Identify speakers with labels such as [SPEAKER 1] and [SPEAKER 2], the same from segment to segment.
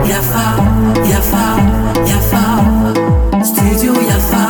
[SPEAKER 1] Yafa, yafa, yafa, studio Yafa.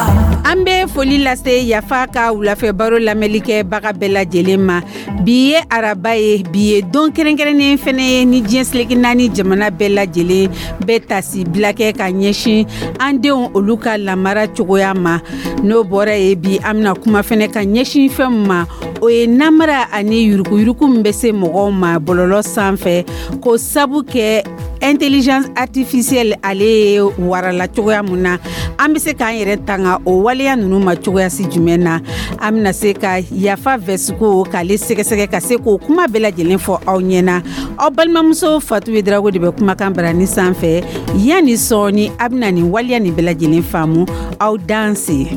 [SPEAKER 2] An bɛ foli lase Yafa ka wulafɛ baro lamɛnlikɛbaga bɛɛ lajɛlen ma. Bi ye araba ye, bi ye don kɛrɛnkɛrɛnnen fɛnɛ ye ni diɲɛ seleke naani jamana bɛɛ lajɛlen bɛ tasi bila kɛ ka ɲɛsin an denw olu ka lamara cogoya ma. N'o bɔra ye, bi an bɛna kuma fɛnɛ ka ɲɛsin fɛn min ma, o ye namara ani yurukuyuruku min bɛ se mɔgɔw ma bɔlɔlɔ sanfɛ, ko sabu kɛ intelligence artificielle ale ye warala cogoya mun na, an bɛ se k'an yɛrɛ tanga o waleya ninnu ma cogoyasi jumɛn na. An bɛna se ka Yafa Vɛsiko k'ale sɛgɛsɛgɛ ka se k'o kuma bɛɛ lajɛlen fɔ aw ɲɛna. Aw balimamuso Fatu Drago de bɛ kumakan barani sanfɛ. Yanni sɔɔni, a bɛna nin waleya nin bɛɛ lajɛlen faamu. Aw danse.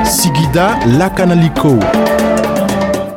[SPEAKER 3] Sigida lakanaliko.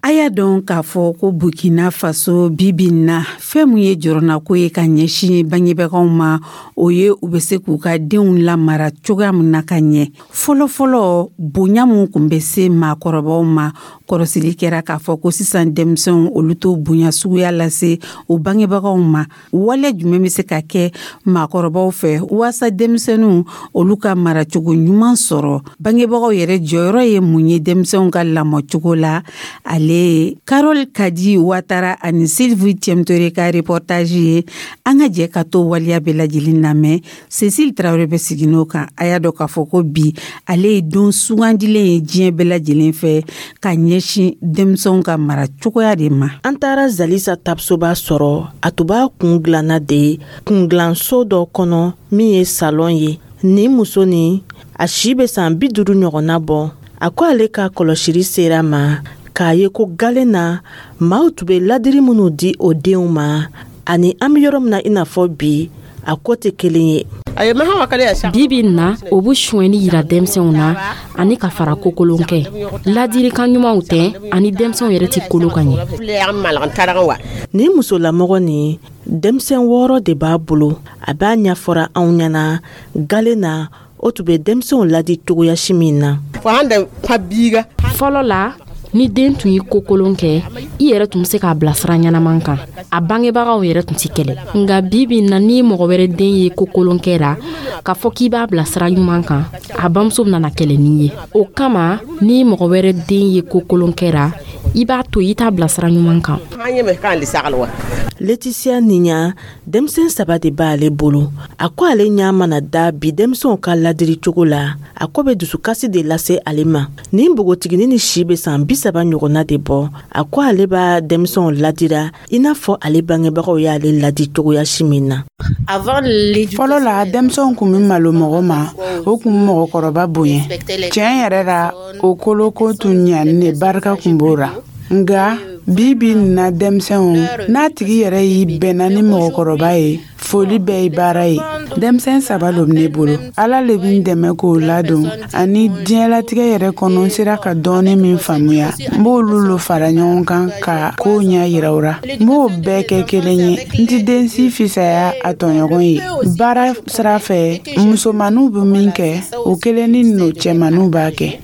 [SPEAKER 2] A y'a dɔn k'a fɔ ko Burkina Faso, bibi na, fɛn mun ye jɔrɔnako ye ka ɲɛsin bangebagaw ma, o ye u bɛ se k'u ka denw lamara cogoya min na ka ɲɛ. Fɔlɔfɔlɔ, bonya mun kun bɛ se maakɔrɔbaw ma, kɔrɔsili kɛra k'a fɔ ko sisan denmisɛnw olu t'o bonya suguya lase u bangebagaw ma. Wale jumɛn bɛ se ka kɛ maakɔrɔbaw fɛ waasa denmisɛnninw olu ka maracogo ɲuman sɔrɔ? Bangebagaw yɛrɛ jɔyɔrɔ ye mun ye denmisɛnw ka lamɔcogo la? Ale ye Carole Kadi Watara ani Sylvie Tiemtore ka reportage ye. An ka jɛ ka to waleya bɛɛ lajɛlen lamɛn. Cécile Traoré bɛ sigi n'o kan. A y'a dɔn k'a fɔ ko bi ale ye don sugandilen ye diɲɛ bɛɛ lajɛlen fɛ ka ɲɛsin denmisɛnw ka mara cogoya de ma.
[SPEAKER 4] An taara Zalisa Tapsoba sɔrɔ, a tun b'a kun dilanna de kundilanso dɔ kɔnɔ min ye salon ye. Nin muso nin, a si bɛ san 50 ɲɔgɔnna bɔ. A ko ale ka kɔlɔsili sera ma k'a ye ko galen na maaw tun bɛ ladiri minnu di o denw ma ani an bɛ yɔrɔ min na i n'a fɔ bi, a ko tɛ kelen ye.
[SPEAKER 5] Bi bi na, o bɛ sonyɛni yira denmisɛnw na ani ka fara kokolon kɛ. Ladilikan ɲumanw tɛ ani denmisɛnw yɛrɛ tɛ kolo ka ɲɛ.
[SPEAKER 4] Nin musolamɔgɔ nin, denmisɛn wɔɔrɔ de b'a bolo. A b'a ɲɛfɔra anw ɲɛna galen na o tun bɛ denmisɛnw ladi cogoya si min na.
[SPEAKER 5] Fɔlɔ la, ni den tun ye kokolon kɛ, i yɛrɛ tun bɛ se k'a bilasira ɲɛnaman kan, a bangebagaw yɛrɛ tun tɛ kɛlɛ. Nka bi bi na, ni mɔgɔ wɛrɛ den ye kokolon kɛ la k'a fɔ k'i b'a bilasira ɲuman kan, a bamuso bɛna kɛlɛ n'i ye. O kama, ni mɔgɔ wɛrɛ den ye kokolon kɛ la, i b'a to i t'a bilasira ɲuman kan.
[SPEAKER 4] Laetitia Niɲa, denmisɛn saba de b'ale bolo. A ko ale ɲa mana da bi denmisɛnw ka ladiri cogo la, a ko bɛ dusukasi de lase ale ma. Nin npogotiginin ni si bɛ san 30 ɲɔgɔnna de bɔ, a ko ale b'a denmisɛnw ladira i n'a fɔ ale bangebagaw y'ale ladi cogoya si min na.
[SPEAKER 6] Fɔlɔ la, denmisɛnw kun bɛ malo mɔgɔ ma, o kun bɛ mɔgɔkɔrɔba bonya. Tiɲɛ yɛrɛ la, o koloko tun ɲani de barika kun b'o la. Nka bi bi na denmisɛnw, n'a tigi yɛrɛ y'i bɛnna ni mɔgɔkɔrɔba ye, foli bɛɛ ye baara ye. Denmisɛn saba lo ne bolo. Ala le bɛ n dɛmɛ k'o ladon, ani diɲɛlatigɛ yɛrɛ kɔnɔ, n sera ka dɔɔni min faamuya, n b'olu lo fara ɲɔgɔn kan ka kow ɲɛ yira u ra. N b'o bɛɛ kɛ kelen ye. N ti den si fisaya a tɔɲɔgɔn ye. Baara sira fɛ, musomaninw bɛ min kɛ, o kelen ni no cɛmaninw b'a kɛ.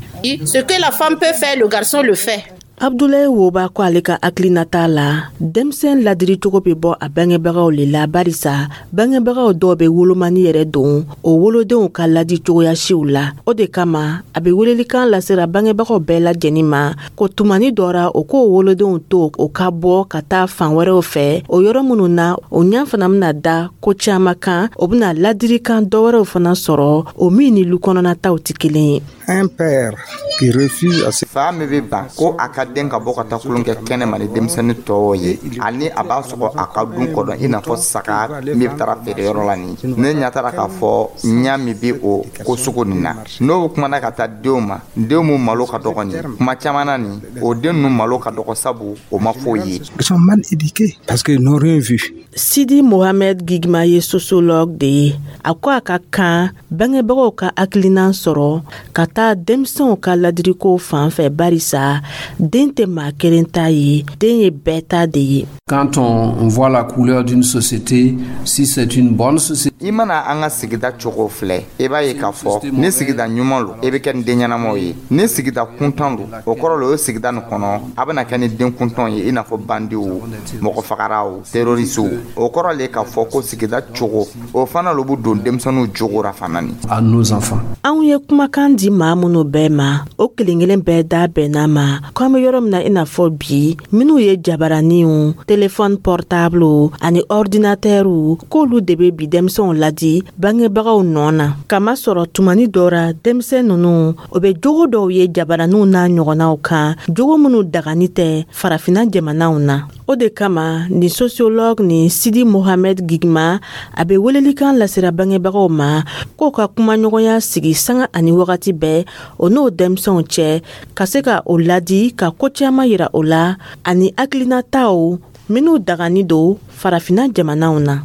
[SPEAKER 7] Ce que la femme peut faire, le garçon le fait.
[SPEAKER 4] Abdulaye Woba ko ale ka hakilinata la, denmisɛn ladiri cogo bɛ bɔ a bangebagaw le la, barisa bangebagaw dɔw bɛ wolomani yɛrɛ don o wolodenw ka ladi cogoya siw la. O de kama a bɛ welelikan lasera bangebagaw bɛɛ lajɛlen ma ko tumani dɔ ra, o k'o wolodenw to o ka bɔ ka taa fan wɛrɛw fɛ, o yɔrɔ minnu na o ɲɛ fana bɛna da ko caman kan, o bɛna ladirikan dɔ wɛrɛw fana sɔrɔ, o min ni lu kɔnɔnataw tɛ kelen ye.
[SPEAKER 8] Un père qui refuse à
[SPEAKER 9] Fa min bɛ ban ko a ka den ka bɔ ka taa kulon kɛ kɛnɛ ma ni denmisɛnnin tɔw ye, ani a b'a sɔgɔ a ka dun kɔnɔ i n'a fɔ saga min bɛ taara feereyɔrɔ la, nin ne ɲɛ taara k'a fɔ ɲa min bɛ o ko sugu nin na, n'o kumana ka taa denw ma, denw mun malo ka dɔgɔ nin kuma caman na, nin o den ninnu malo ka dɔgɔ, sabu o ma foyi ye.
[SPEAKER 8] Ils sont mal éduqués parce qu'ils n'ont rien vu.
[SPEAKER 4] Sidi Mohamed Gigma ye sociologue de ye. A ko a ka kan bangebagaw ka hakilinan sɔrɔ ka taa denmisɛnw ka ladiriko fan fɛ, barisa den tɛ maa kelen ta ye, den ye bɛɛ ta de ye.
[SPEAKER 10] Quand on voit la couleur d'une société, si c'est une bonne société,
[SPEAKER 9] I mana an ka sigida cogo filɛ, i b'a ye k'a fɔ ni sigida ɲuman lo, i bɛ kɛ ni den ɲɛnamaw ye. Ni sigida kuntan lo, o kɔrɔ lo, o sigida nin kɔnɔ, a bɛna kɛ ni den kuntanw ye, i n'a fɔ bandiw, mɔgɔ fagaraw, terroristew. O kɔrɔ le k'a fɔ ko sigida cogo, o fana lo bɛ don denmisɛnninw jogo ra fana ni.
[SPEAKER 10] À nos enfants.
[SPEAKER 4] Anw ye kumakan di maa minnu bɛɛ ma, o kelen kelen bɛɛ da bɛnna ma ko an bɛ yɔrɔ min na i n'a fɔ bi, minnu ye jabaraniw, telefɔni portable ani ordinatɛriw, k'olu de bɛ bi denmisɛnw ladi bangebagaw nɔ na, kamasɔrɔ tumani dɔ ra, denmisɛn ninnu o bɛ jogo dɔw ye jabaraniw n'a ɲɔgɔnnaw kan, jogo minnu dagani tɛ Farafina jamanaw na. O de kama ni sociologue ni Sidi Mohamed Gigma, a bɛ welelikan lasera bangebagaw ma k'o ka kumaɲɔgɔnya sigi sanga ani wagati bɛɛ o n'o denmisɛnw cɛ, ka se ka o ladi, ka ko caman yira o la ani hakilinataw minnu dagani don Farafina jamanaw na.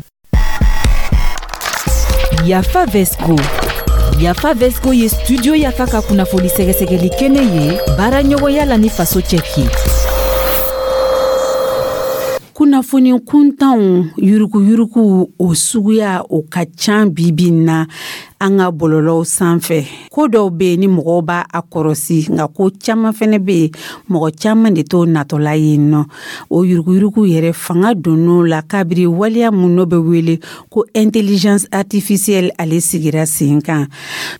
[SPEAKER 11] Yafa Vesco. Yafa Vesco ye Studio Yafa ka kunnafoni sɛgɛsɛgɛli kɛnɛ ye, baara ɲɔgɔnya la ni Faso Cɛki.
[SPEAKER 2] Kunnafoni kuntanw, yuruguyurugu, o suguya o ka ca bibi na an ka bɔlɔlɔw sanfɛ. Ko dɔw bɛ yen ni mɔgɔw b'a a kɔrɔsi, nka ko caman fɛnɛ bɛ yen, mɔgɔ caman de t'o natɔla yen nɔ. O yuruguyurugu yɛrɛ fanga donn'o la kabiri waleya mun n'o bɛ wele ko intelligence artificielle, ale sigira sen kan.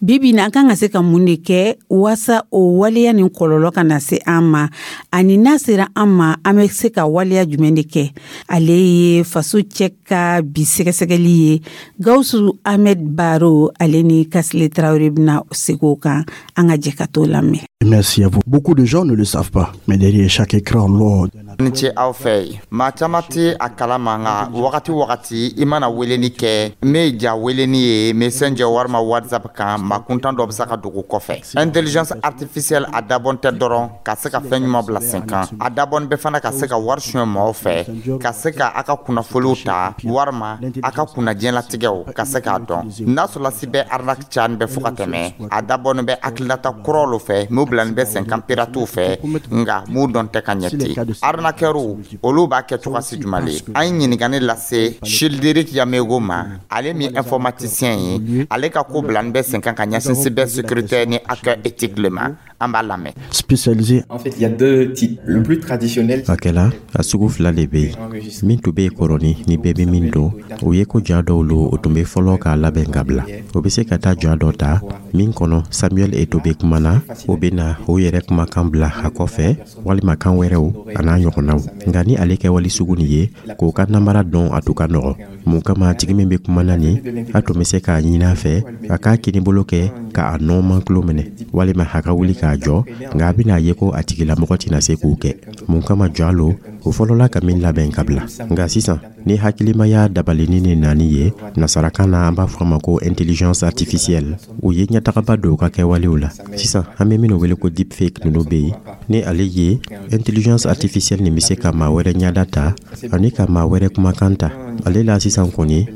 [SPEAKER 2] Bibi na, an kan ka se ka mun de kɛ waasa o waleya nin kɔlɔlɔ kana se an ma, ani n'a sera an ma, an bɛ se ka waleya jumɛn de kɛ? Ale ye Faso Cɛ ka bi sɛgɛsɛgɛli ye. Gawusu Ahmed Baro, ale ni Kasile Tarawele bɛna segin o kan. An ka jɛ ka t'o lamɛn.
[SPEAKER 10] Merci à vous. Beaucoup de gens ne le savent pas, mais derrière chaque écran noir
[SPEAKER 9] Ni ce aw fɛ yen. Maa caman tɛ a kalama, nka wagati wagati i mana weleli kɛ, min ja weleni ye Messenger walima WhatsApp kan, maa kuntan dɔ bɛ se ka dogo kɔfɛ. Intelligence artificielle, a dabɔn tɛ dɔrɔn ka se ka fɛn ɲuman bila sen kan, a dabɔn bɛ fana ka se ka wari suɲɛ maaw fɛ, ka se ka a ka kunnafoniw ta walima a ka kunnajɛlatigɛw ka se k'a dɔn. N'a sɔrɔlasi bɛ arnaque cani bɛ fo ka tɛmɛ, a dabɔn bɛ hakilinata kuraw lo fɛ m'u bilani bɛ sen kan piratew fɛ, nka m'u dɔn tɛ ka ɲɛ ten. Arnaqueurs, olu b'a kɛ cogoya jumɛn le? An ye ɲininkali lase Childéric Yamego ma, ale min informaticien ye, ale ka ko bilani bɛ sen kan ka ɲɛsin cybersécurité ni hacker éthique le ma. An b'a lamɛn.
[SPEAKER 10] Spécialisé.
[SPEAKER 12] En fait, il y a deux types. Le plus traditionnel.
[SPEAKER 13] A kɛla a sugu fila de bɛ yen. Min tun bɛ yen kɔrɔni ni bɛɛ bɛ min dɔn, o ye ko ja dɔw lo, o tun bɛ fɔlɔ k'a labɛn ka bila. O bɛ se ka taa ja dɔ ta min kɔnɔ Samuel Eto'o bɛ kuma na, o bɛ na o yɛrɛ kumakan bila a kɔfɛ, walima kan wɛrɛw a n'a ɲɔgɔnnaw. Nka ni ale kɛwale sugu nin ye k'o ka namara dɔn, a tun ka nɔgɔ. Mun kama tigi min bɛ kuma na nin, a tun bɛ se k'a ɲini a fɛ a k'a kinibolo kɛ k'a nɔɔman tulo minɛ, walima a ka wuli k'a jɔ, nka a bɛna ye ko a tigilamɔgɔ tɛna se k'o kɛ. Mun kama ja lo, o fɔlɔla ka min labɛn ka bila. Nka sisan ni hakilimaya dabalini ni nani ye, nasarakan na an b'a fɔ a ma ko intelligence artificielle, o ye ɲɛtagaba don u ka kɛwalew la. Sisan an bɛ minnu wele ko deepfake ninnu bɛ yen. Ni ale ye intelligence artificielle nin bɛ se ka maa wɛrɛ ɲɛda ta ani ka maa wɛrɛ kumakan ta ale la. Sisan kɔni,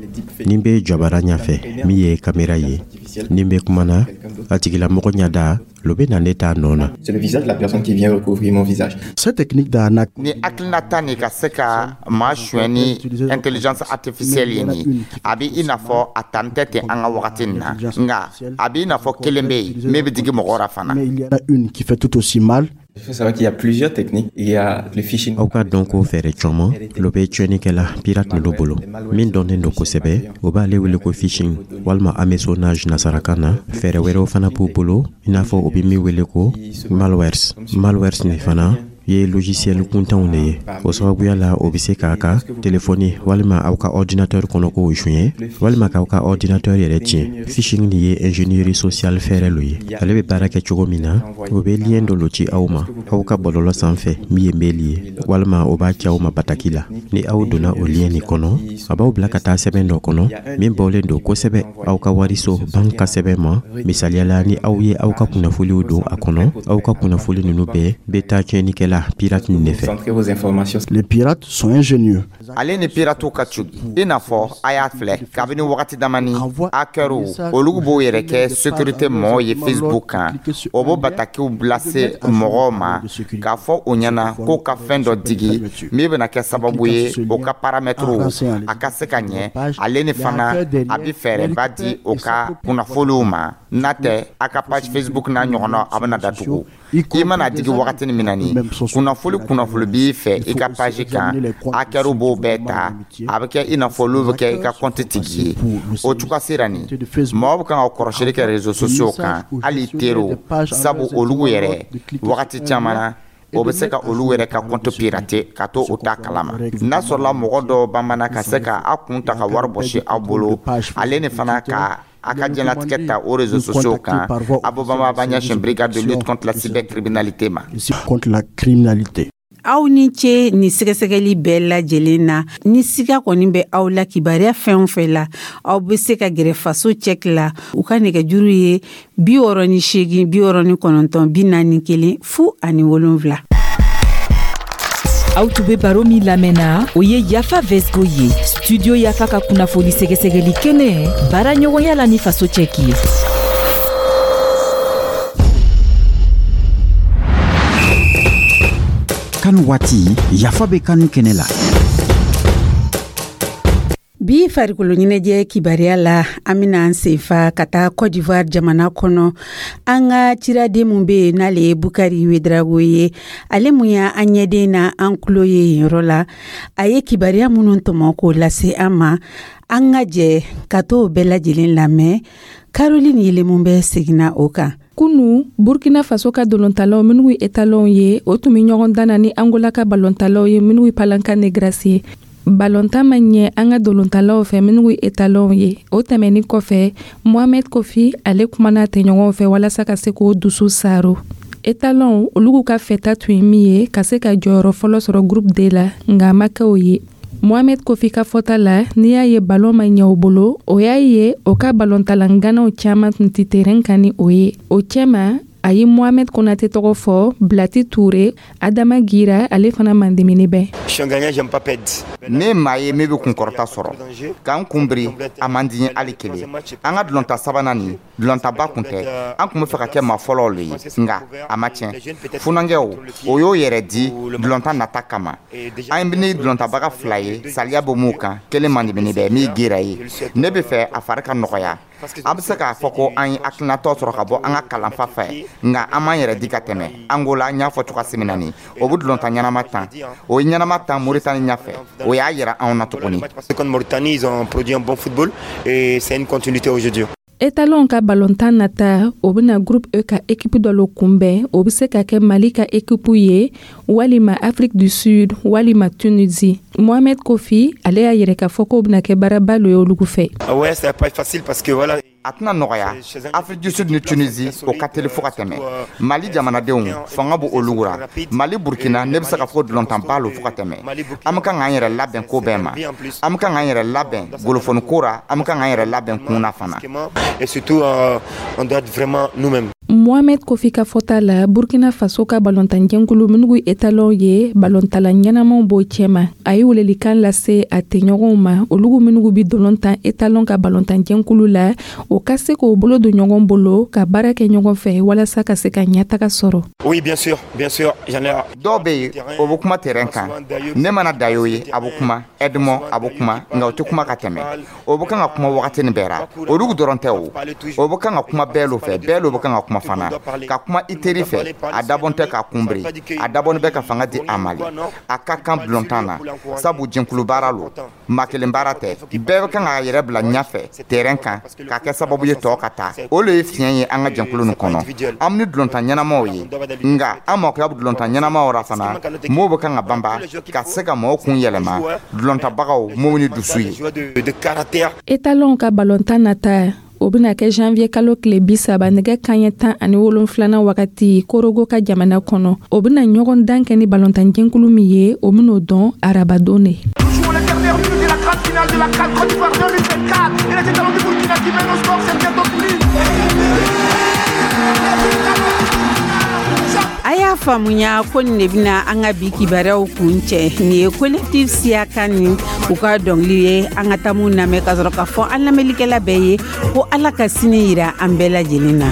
[SPEAKER 13] ni bɛ jabara ɲɛfɛ min ye kamera ye, ni bɛ kuma na, a tigilamɔgɔ ɲɛda lo bɛ na ne ta nɔ na.
[SPEAKER 12] C'est le visage de la personne qui vient recouvrir mon visage.
[SPEAKER 10] Cette technique d'arnaque.
[SPEAKER 9] Ni hakilinata nin ka se ka maa suɲɛ ni intelligence artificielle ye nin, a bɛ i n'a fɔ a tani tɛ ten an ka wagati nin na, nka a bɛ i n'a fɔ kelen bɛ yen min bɛ digi mɔgɔ la fana.
[SPEAKER 10] Mais il y en a une qui fait tout aussi mal.
[SPEAKER 12] Il faut savoir qu'il y a plusieurs techniques. Il y a le phishing.
[SPEAKER 13] Aw ka dɔn ko fɛɛrɛ caman lo bɛ tiɲɛnikɛla pirate ninnu bolo. Min dɔnnen don kosɛbɛ, o b'ale wele ko phishing walima hameçonnage nasarakan na. Fɛɛrɛ wɛrɛw fana b'u bolo, i n'a fɔ o bɛ min wele ko malwares. Malwares nin fana ye logiciel kuntanw de ye. O sababuya la, o bɛ se k'a ka telefɔni walima aw ka ordinateur kɔnɔkow suɲɛ, walima k'aw ka ordinateur yɛrɛ tiɲɛ. Phishing nin ye ingénierie sociale fɛɛrɛ lo ye. Ale bɛ baara kɛ cogo min na, o bɛ lien dɔ lo ci aw ma aw ka bɔlɔlɔ sanfɛ min ye mail ye, walima o b'a ci aw ma bataki la. Ni aw donna o lien nin kɔnɔ, a b'aw bila ka taa sɛbɛn dɔ kɔnɔ min bɔlen don kosɛbɛ aw ka wariso banque ka sɛbɛn ma. Misaliya la, ni aw ye aw ka kunnafoniw don a kɔnɔ, aw ka kunnafoni ninnu bɛɛ bɛ taa tiɲɛnikɛla pirate nin de fɛ.
[SPEAKER 12] Centrer vos informations.
[SPEAKER 10] Les pirates sont ingénieux.
[SPEAKER 9] Ale ni piratiw ka tugu, i n'a fɔ a y'a filɛ kabini wagati damani, hackers olu b'o yɛrɛ kɛ sécurité mɔgɔw ye Facebook kan. O b'o batakiw lase mɔgɔw ma k'a fɔ o ɲɛna k'o ka fɛn dɔ digi min bɛna kɛ sababu ye o ka paramètres a ka se ka ɲɛ. Ale ni fana a bɛ fɛɛrɛba di o ka kunnafoniw ma, n'a tɛ a ka page Facebook n'a ɲɔgɔnna a bɛna datugu. I mana digi wagatini min na, ni kunnafoni kunnafoni b'i fɛ i ka page kan, hackers b'o bɛɛ ta, a bɛ kɛ i n'a fɔ olu bɛ kɛ i ka compte tigi ye. O cogoya sera nin, mɔgɔw bɛ kan ka kɔrɔsili kɛ réseaux sociaux kan, hali teriw, sabu olu yɛrɛ wagati caman na, o bɛ se ka olu yɛrɛ ka compte pirater ka to o ta kalama. N'a sɔrɔla mɔgɔ dɔw banbana ka se ka aw kun ta ka wari bɔsi aw bolo, ale ni fana ka a ka diɲɛlatigɛ ta o réseaux sociaux kan, Abobama b'a ɲɛsin brigade de lutte contre la cybercriminalité ma.
[SPEAKER 10] Contre la criminalité.
[SPEAKER 2] Aw ni ce ni sɛgɛsɛgɛli bɛɛ lajɛlen na. Ni siga kɔni bɛ aw la kibaruya fɛn o fɛn la, aw bɛ se ka gɛrɛ Faso cɛki la. U ka nɛgɛjuru ye 68 69 41 07.
[SPEAKER 11] Aw tun bɛ baro min lamɛnna, o ye Yafa Vesgo ye, Studio Yafa ka kunnafoni sɛgɛsɛgɛli kɛnɛ, baara ɲɔgɔnya la ni Faso cɛki ye.
[SPEAKER 14] Kan waati Yafa bɛ kanu kɛnɛ la.
[SPEAKER 2] Bi farikolo ɲɛnajɛ kibaruya la, an bɛna an senfa ka taa Côte d'Ivoire jamana kɔnɔ. An ka ciraden mun bɛ yen, n'ale ye Bukari Wedrago ye, ale mun y'an ɲɛden na an tulo ye yen yɔrɔ la, a ye kibaruya minnu tɔmɔ k'o lase an ma, an ka jɛ ka t'o bɛɛ lajɛlen lamɛn. Caroline Yelemu bɛ seginna o kan.
[SPEAKER 15] Kunu, Burkina Faso ka dolontalaw minnu ye etalɔnw ye, o tun bɛ ɲɔgɔn dan na ni Angola ka balontalaw ye minnu ye Palanka Negras ye. Balontan ma ɲɛ an ka dolontalaw fɛ minnu ye etalɔnw ye. O tɛmɛnin kɔfɛ, Mohamed Kofi ale kumana tɛɲɔgɔnw fɛ walasa ka se k'o dusu saaro. Etalɔnw olu ka fɛta tun ye min ye ka se ka jɔyɔrɔ fɔlɔ sɔrɔ groupe D la, nka a ma kɛ o ye. Mohamed Kofi ka fɔta la, n'i y'a ye balon ma ɲɛ o bolo, o y'a ye o ka balontalanganaw caman tun tɛ terrain kan ni o ye. O cɛma, a ye Mohamed Konate tɔgɔ fɔ, Blati Toure, Adama Gira, ale fana mandemini bɛ.
[SPEAKER 9] Ne maa ye min bɛ kunkɔrɔta sɔrɔ k'an kunbiri, a man di ye hali kelen. An ka dulonta sabanan nin, dulontaba kun tɛ, an tun bɛ fɛ ka kɛ maa fɔlɔw le ye, nka a ma tiɲɛ. Funankɛw o y'o yɛrɛ di dulonta nata kama. An bɛ ni dulontabaga fila ye, saliya bɛ mun kan, kelen mandemini bɛ min Gira ye. Ne bɛ fɛ a fari ka nɔgɔya. An bɛ se k'a fɔ ko an ye hakilinatɔ sɔrɔ ka bɔ an ka kalanfa fɛ, nka an m'an yɛrɛ di ka tɛmɛ. Angola, an y'a fɔ cogoya min na nin, o bɛ dulonta ɲɛnama tan, o ye ɲɛnama tan Moritani ɲɛfɛ, o y'a yira anw na tuguni.
[SPEAKER 15] Etalon ka balontan nata, o bɛna groupe E ka équipe dɔ lo kunbɛn. O bɛ se ka kɛ Mali ka équipe ye, walima Afrique du Sud, walima Tunisie. Mohamed Kofi ale y'a yɛrɛ k'a fɔ k'o bɛna kɛ baaraba lo ye olu fɛ.
[SPEAKER 9] A tɛna nɔgɔya. Afrique du Sud ni Tunisie, o ka teli fo ka tɛmɛ. Mali jamanadenw fanga b'o olu ra. Mali Burkina, ne bɛ se ka fɔ dulontanba lo fo ka tɛmɛ. An bɛ kan k'an yɛrɛ labɛn ko bɛɛ ma, an bɛ kan k'an yɛrɛ labɛn golofoni ko ra, an bɛ kan k'an yɛrɛ labɛn kun na fana.
[SPEAKER 15] Mohamed Kofi ka fɔta la, Burkina Faso ka balontanjɛkulu minnu ye etalɔnw ye, balontala ɲɛnamaw b'o cɛma. A ye welelikan lase a tɛɲɔgɔnw ma, olu minnu bɛ dolon tan etalɔn ka balontanjɛkulu la, o ka se k'o bolo don ɲɔgɔn bolo ka baara kɛ ɲɔgɔn fɛ walasa ka se ka ɲɛtaga sɔrɔ.
[SPEAKER 9] Dɔw bɛ yen, o bɛ kuma terrain kan. Ne mana Dayo ye, a bɛ kuma, Edmond a bɛ kuma, nka o tɛ kuma ka tɛmɛ. O bɛ kan ka kuma wagati nin bɛɛ ra. Olu dɔrɔn tɛ o, o bɛ kan ka kuma bɛɛ lo fɛ, bɛɛ lo bɛ kan ka kuma fana. Ka kuma i teri fɛ, a dabɔn tɛ k'a kunbiri, a dabɔn bɛ ka fanga di a ma le. A ka kan bulontan na, sabu jɛnkulu baara lo, maa kelen baara tɛ. Bɛɛ bɛ kan k'a yɛrɛ bila ɲɛfɛ terrain kan k'a kɛ sababu ye tɔ ka taa. O le ye fiɲɛ ye an ka jɛnkulu nin kɔnɔ. An ni dulontan ɲɛnamaw ye, nka an makoya bɛ dulontan ɲɛnamaw ra fana, m'o bɛ kan ka banba ka se ka mɔgɔw kun yɛlɛma, dulontabagaw m'o ni dusu ye.
[SPEAKER 15] Etalɔnw ka balontan nata, o bɛna kɛ janvier kalo tile 30 nɛgɛ kanɲɛ 17 wagati Korogo ka jamana kɔnɔ. O bɛna ɲɔgɔn dan kɛ ni balontanjɛkulu min ye, o bɛn'o dɔn arabadon de.
[SPEAKER 2] A y'a Y'a faamuya ko nin de bɛna an ka bi kibaruyaw kun cɛ. Nin ye Collectif Siyaka ni u ka dɔnkili ye. An ka taa mun lamɛn ka sɔrɔ k'a fɔ an lamɛnlikɛla bɛɛ ye ko Ala ka sini yira an bɛɛ lajɛlen na.